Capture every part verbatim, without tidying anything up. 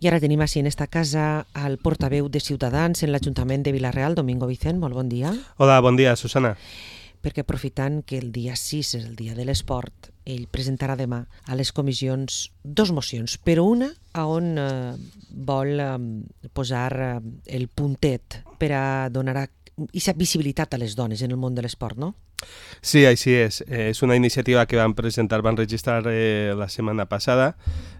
I ara tenim així en esta casa al portaveu de Ciutadans en l'Ajuntament de Vila-real, Domingo Vicent, molt bon dia. Hola, bon dia, Susana. Perquè aprofitant que el dia sis és el dia de l'esport, ell presentarà demà a les comissions dos mocions, però una a on eh, vol eh, posar eh, el puntet per a donar aquesta visibilitat a les dones en el món de l'esport, no? Sí, així és. Eh, és una iniciativa que van presentar, van registrar eh, la setmana passada,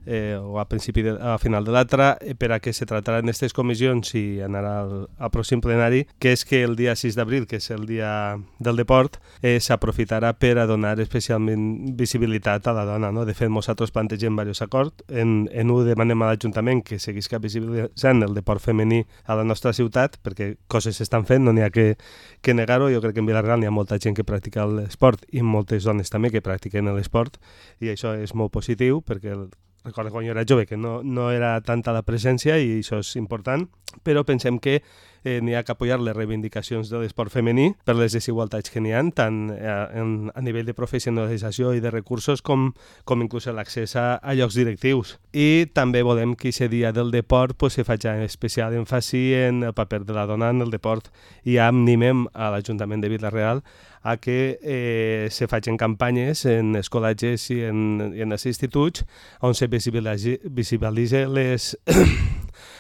eh, o a principi de, a final de l'altra, eh, per a que se tractarà en aquestes comissions i anarà al, al pròxim plenari, que és que el dia sis d'abril, que és el dia del deport, eh, s'aprofitarà per a donar especialment visibilitat a la dona. No? De fet, nosaltres plantegem diversos acords. En, en un demanem a l'Ajuntament que seguisca visibilitzant el deport femení a la nostra ciutat, perquè coses s'estan fent, no n'hi ha que, que negar-ho. Jo crec que en Vila-real n'hi ha molta gent que practica l'esport i moltes dones també que practiquen l'esport, i això és molt positiu perquè el, recordo quan jo era jove que no, no era tanta la presència i això és important, però pensem que eh, n'hi ha que apoyar les reivindicacions de l'esport femení per les desigualtats que n'hi ha, tant eh, en, a nivell de professionalització i de recursos com, com inclús l'accés a, a llocs directius. I també volem que aquest dia del deport pues, se faci especial èmfasi en el paper de la dona en el deport, i ja animem a l'Ajuntament de Vila-real a que eh, se facin campanyes en els col·legis i en, i en els instituts on se visibilitzi les,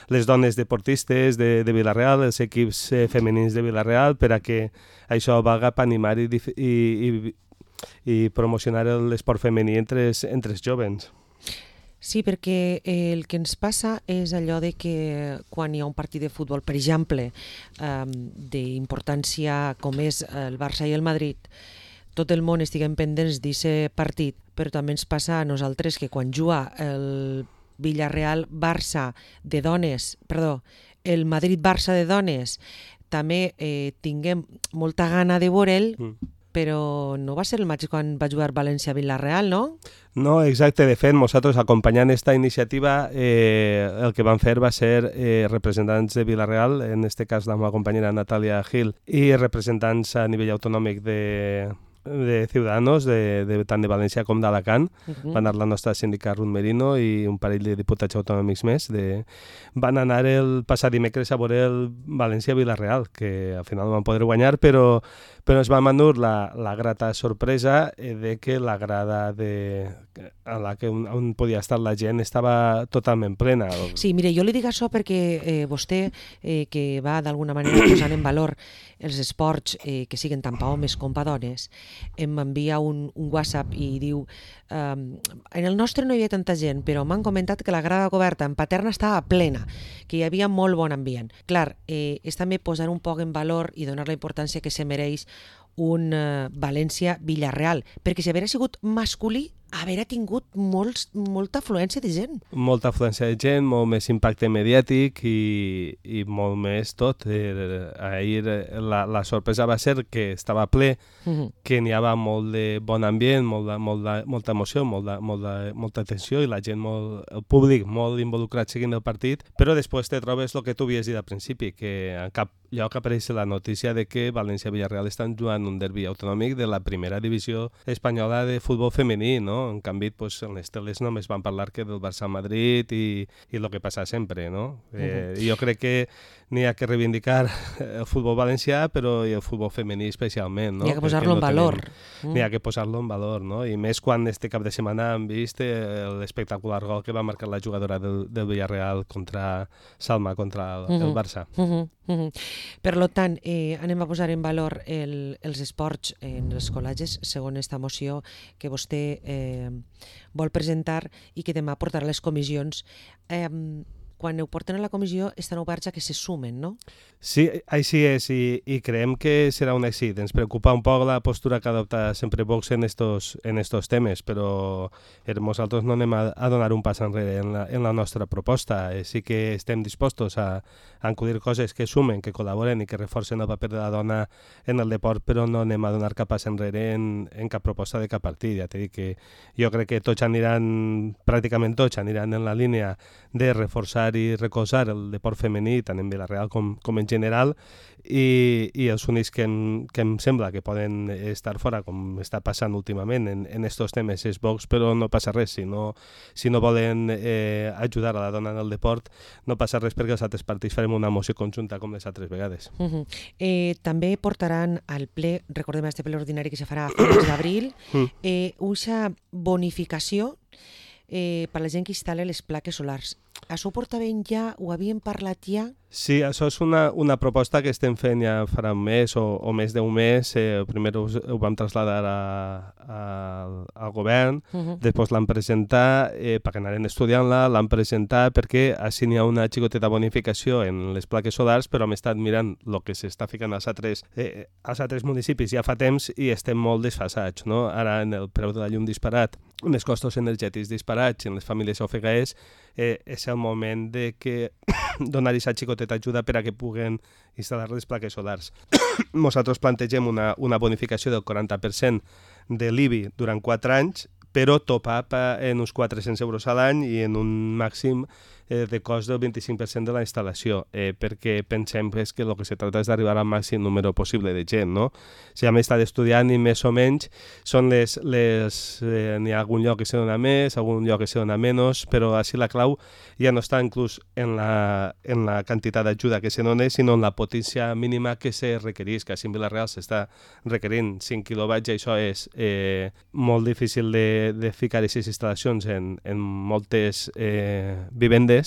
les dones deportistes de, de Vila-real, els equips eh, femenins de Vila-real, per a que això valga per animar i, i, i, i promocionar l'esport femení entre, entre els jovens. Sí, perquè el que ens passa és allò de que quan hi ha un partit de futbol, per exemple, eh, d'importància com és el Barça i el Madrid, tot el món estiguem pendents d'aquest partit, però també ens passa a nosaltres que quan juga el Villarreal-Barça de dones, perdó, el Madrid-Barça de dones, també eh, tinguem molta gana de veure'l, mm. però no va ser el mateix quan va jugar València-Vila-real, no? No, exacte. De fet, nosaltres acompanyant aquesta iniciativa eh, el que vam fer va ser eh, representants de Vila-real, en aquest cas la meva companyera Natàlia Gil, i representants a nivell autonòmic de, de Ciudadanos, de, de, tant de València com d'Alacant. Uh-huh. Va anar la nostra síndica Ruth Merino i un parell de diputats autonòmics més. De... Van anar el passat dimecres a veure el València-Vila-real, que al final no van poder guanyar, però però ens va endur la, la grata sorpresa de que la grada de, a la que on, on podia estar la gent estava totalment plena. Sí, mire, jo li dic això perquè eh, vostè, eh, que va d'alguna manera posant en valor els esports eh, que siguen tant per homes com per dones, em envia un, un WhatsApp i diu um, en el nostre no hi havia tanta gent, però m'han comentat que la grada coberta en Paterna estava plena, que hi havia molt bon ambient. Clar, eh, és també posar un poc en valor i donar la importància que se mereix un uh, València-Villarreal, perquè si haguera sigut masculí, haver tingut molts, molta afluència de gent. Molta afluència de gent, molt més impacte mediàtic i, i molt més tot. Eh, ahir la, la sorpresa va ser que estava ple, uh-huh. que n'hi havia molt de bon ambient, molt de, molt de, molta emoció, molt de, molt de, molta atenció i la gent, molt, el públic molt involucrat seguint el partit, però després te trobes el que tu havies dit al principi, que en cap lloc apareix la notícia de que València-Villarreal estan jugant un derbi autonòmic de la primera divisió espanyola de futbol femení, no? En canvi, pues, en les teles només van parlar que del Barça-Madrid i, i el que passa sempre, no? Eh, uh-huh. Jo crec que n'hi ha que reivindicar el futbol valencià, però i el futbol femení especialment, no? N'hi ha que posar-lo en valor. Mm. N'hi ha que posar-lo en valor, no? I més quan este cap de setmana hem vist l'espectacular gol que va marcar la jugadora del, del Villarreal contra Salma, contra el, uh-huh. el Barça. Uh-huh. Uh-huh. Per tant, eh, anem a posar en valor el, els esports en els col·legis, segons esta moció que vostè eh, vol presentar i que demà portarà a les comissions. Eh, quan ho porten a la comissió estan oberts a que se sumen, no? Sí, així és, i, i creiem que serà un èxit. Ens preocupa un poc la postura que adopta sempre Vox en estos, en estos temes, però nosaltres no anem a, a donar un pas enrere en la, en la nostra proposta. Eh, sí que estem dispostos a, a acudir coses que sumen, que col·laboren i que reforcen el paper de la dona en el deport, però no anem a donar cap pas enrere en, en cap proposta de cap partit. Ja t'he dit que jo crec que tots aniran, pràcticament tots aniran en la línia de reforçar ajudar i recolzar el deport femení, tant en Vila-real com, com en general, i, i els únics que em, que em sembla que poden estar fora, com està passant últimament en, en estos temes, és Vox, però no passa res. Si no, si no volen eh, ajudar a la dona en el deport, no passa res perquè els altres partits farem una moció conjunta com les altres vegades. Uh -huh. eh, també portaran al ple, recordem este ple ordinari que se farà a finals d'abril, eh, una bonificació eh, per a la gent que instal·la les plaques solars. Això ho portaven ja, ho havien parlat ja? Sí, això és una, una proposta que estem fent ja farà un mes o, o més d'un mes. Eh, primer ho, ho vam traslladar a, a, al govern, uh -huh. després l'han presentat eh, perquè anaren estudiant-la, l'han presentat perquè així n'hi ha una xicoteta bonificació en les plaques solars, però hem estat mirant el que s'està ficant als altres, eh, als altres municipis ja fa temps i estem molt desfasats, no? Ara en el preu de la llum disparat, en els costos energètics disparats, en les famílies ofegaes, eh, és el moment de que donar aquesta xicoteta ajuda per a que puguen instal·lar les plaques solars. Nosaltres plantegem una, una bonificació del quaranta per cent de l'I B I durant quatre anys, però top-up en uns quatre-cents euros a l'any i en un màxim eh, de cost del vint-i-cinc per cent de la instal·lació, eh, perquè pensem pues, que el que se tracta és d'arribar al màxim número possible de gent, no? Si hem estat estudiant i més o menys són les... les eh, n'hi ha algun lloc que se dona més, algun lloc que se dona menys, però així la clau ja no està inclús en la, en la quantitat d'ajuda que se dona, sinó en la potència mínima que se requereix, que així en Vila-real s'està requerint cinc quilowatts i això és eh, molt difícil de, de ficar aquestes instal·lacions en, en moltes eh, vivendes,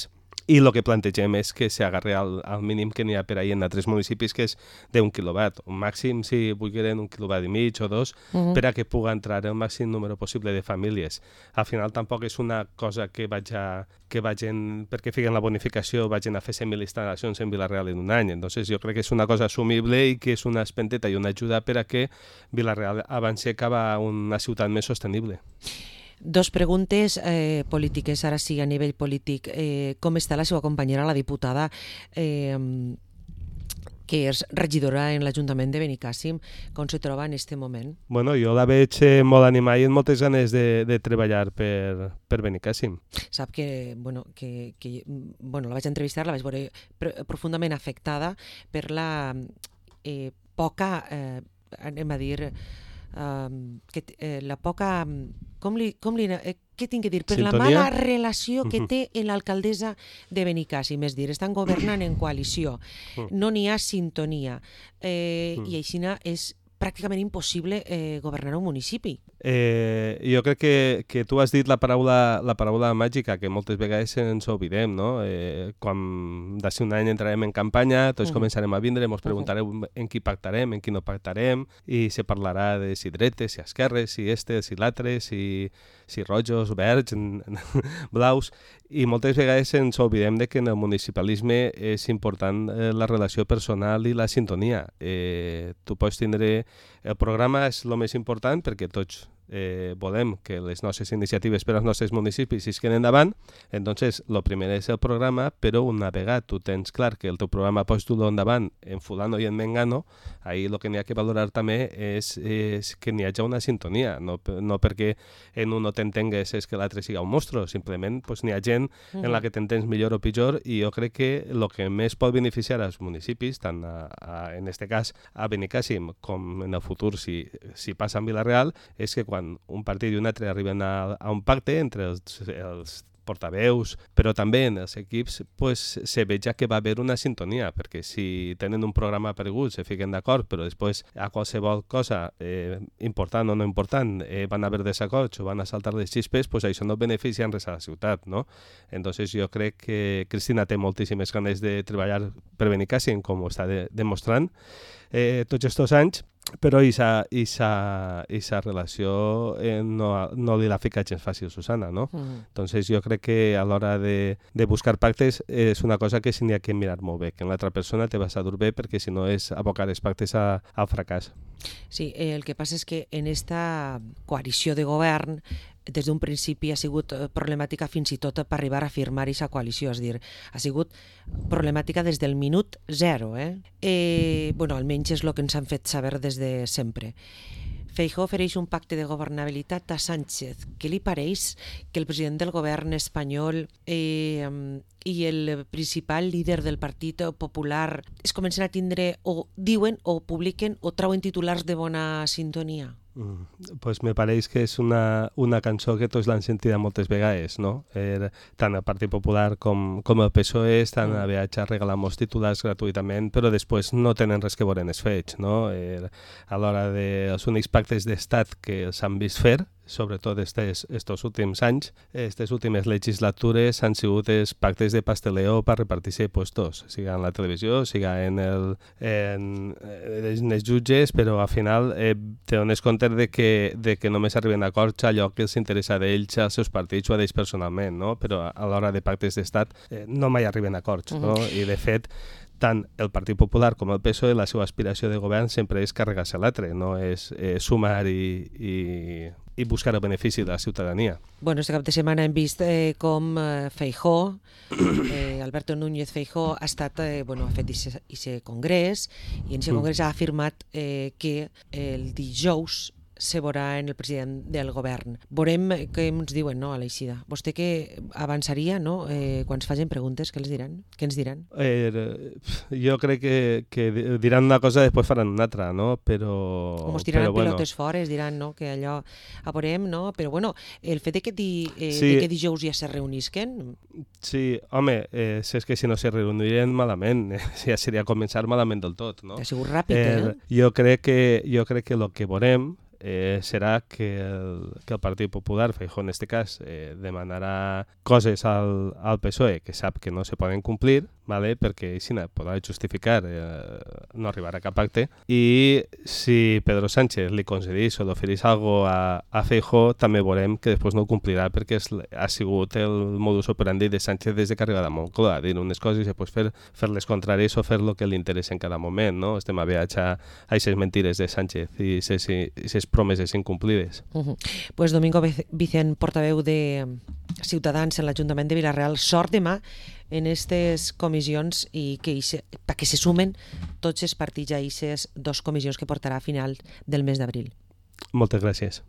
i el que plantegem és que s'agarri al, al mínim que n'hi ha per ahir en altres municipis, que és d'un quilowatt. Un màxim, si vulguin, un quilowatt i mig o dos, uh -huh. per a que pugui entrar el màxim número possible de famílies. Al final tampoc és una cosa que vagi, que vagin, perquè fiquen la bonificació, vagin a fer cent mil instal·lacions en Vila-real en un any. Entonces jo crec que és una cosa assumible i que és una espenteta i una ajuda per a que Vila-real avanci cap a una ciutat més sostenible. Dos preguntes eh, polítiques, ara sí, a nivell polític. Eh, com està la seva companyera, la diputada, eh, que és regidora en l'Ajuntament de Benicàssim? Com se troba en aquest moment? Bueno, jo la veig eh, molt animada i amb moltes ganes de, de treballar per, per Benicàssim. Sap que, bueno, que, que bueno, la vaig entrevistar, la vaig veure profundament afectada per la eh, poca, eh, anem a dir, Uh, que, eh, la poca... Com li, com li, eh, què tinc que dir? Per Sintonia? La mala relació que té l'alcaldessa de Benicàssim, és dir, estan governant en coalició, no n'hi ha sintonia, eh, i així és pràcticament impossible eh, governar un municipi. Eh, jo crec que, que tu has dit la paraula, la paraula màgica, que moltes vegades ens oblidem, no? Eh, quan d'ací un any entrarem en campanya, tots uh -huh. començarem a vindre, ens preguntarem uh -huh. en qui pactarem, en qui no pactarem, i se parlarà de si dretes, si esquerres, si estes, si l'altres, si, si rojos, verds, blaus, i moltes vegades ens oblidem de que en el municipalisme és important eh, la relació personal i la sintonia. Eh, tu pots tindre... El programa és el més important perquè tots eh, volem que les nostres iniciatives per als nostres municipis isquen endavant. Entonces, el primer és el programa, però una vegada tu tens clar que el teu programa pots dur-lo endavant en fulano i en mengano, ahí el que n'hi ha que valorar també és, és que n'hi hagi una sintonia, no, no perquè en un no t'entengues és que l'altre siga un monstru, simplement pues, n'hi ha gent en la que t'entens millor o pitjor, i jo crec que el que més pot beneficiar als municipis, tant a, a, en este cas a Benicàssim com en el futur si, si passa en Vila-real, és que quan un partit i un altre arriben a, a un pacte entre els, els portaveus, però també en els equips, pues, se veja que va haver una sintonia, perquè si tenen un programa aparegut, se fiquen d'acord, però després a qualsevol cosa eh, important o no important eh, van haver desacords o van a saltar les xispes, pues això no beneficia en res a la ciutat, no? Entonces jo crec que Cristina té moltíssimes ganes de treballar per Benicàssim, com ho està de, demostrant eh, tots aquests anys, però aquesta relació eh, no, no li la fica gens fàcil, Susana, no? Mm. Entonces jo crec que a l'hora de, de buscar pactes és una cosa que s'hi ha que mirar molt bé, que l'altra persona te vas a dur bé, perquè si no és abocar els pactes a, al fracàs. Sí, eh, el que passa és que en esta coalició de govern des d'un principi ha sigut problemàtica fins i tot per arribar a firmar aquesta coalició, és a dir, ha sigut problemàtica des del minut zero. Eh? Eh, bueno, almenys és el que ens han fet saber des de sempre. Feijóo ofereix un pacte de governabilitat a Sánchez. Què li pareix que el president del govern espanyol eh, i el principal líder del Partit Popular es comencen a tindre, o diuen, o publiquen, o trauen titulars de bona sintonia? Mm, pues me pareix que és una, una cançó que tots l'han sentida moltes vegades, no? Eh, tant el Partit Popular com, com el P S O E estan a viatge a regalar molts titulars gratuïtament, però després no tenen res que veure en els fets, no? Eh, a l'hora dels únics pactes d'estat que s'han vist fer, sobretot estes, estos últims anys, aquestes últimes legislatures han sigut els pactes de pasteleo per repartir-se puestos, siga en la televisió, siga en, el, en, en els jutges, però al final eh, te dones compte de que, de que només arriben a acords allò que els interessa d'ells, als seus partits o a d'ells personalment, no? Però a l'hora de pactes d'estat eh, no mai arriben a acords, no? I de fet, tant el Partit Popular com el P S O E, la seva aspiració de govern sempre és carregar-se l'altre, no és eh, sumar i, i, i buscar el benefici de la ciutadania. Bueno, este cap de setmana hem vist eh, com eh, Feijóo, eh, Alberto Núñez Feijóo, ha estat, eh, bueno, ha fet aquest congrés, i en aquest congrés ha afirmat eh, que el dijous se veurà en el president del govern. Veurem què ens diuen, no, a l'eixida. Vostè que avançaria, no? Eh, quan es facin preguntes, què els diran? Què ens diran? Eh, jo crec que, que diran una cosa i després faran una altra, no? Però... Com es tiraran però, pilotes bueno. fora, es diran, no?, que allò a veurem, no? Però, bueno, el fet de que, di, eh, sí. de que dijous ja se reunisquen... Sí, home, eh, és que si no se reunirien malament, eh, ja seria començar malament del tot, no? Ha sigut ràpid, eh? eh? Jo crec que, jo crec que el que veurem Eh, serà que el, que el Partit Popular, Feijóo en este cas, eh, demanarà coses al, al P S O E que sap que no se poden complir, vale? Perquè així podrà justificar eh, no arribar a cap pacte, i si Pedro Sánchez li concedís o li oferís alguna cosa a, a Feijóo, també veurem que després no ho complirà, perquè és, ha sigut el modus operandi de Sánchez des de que ha arribat a Moncloa, dir unes coses i després fer, fer les contràries o fer el que li interessa en cada moment, no? Estem a viatge a aquestes mentires de Sánchez i aquestes promeses incomplides. Uh -huh. Pues Domingo Vicent, portaveu de Ciutadans en l'Ajuntament de Vila-real, sort demà en aquestes comissions i que ixe, perquè se sumen tots els partits a aquestes dues comissions que portarà a final del mes d'abril. Moltes gràcies.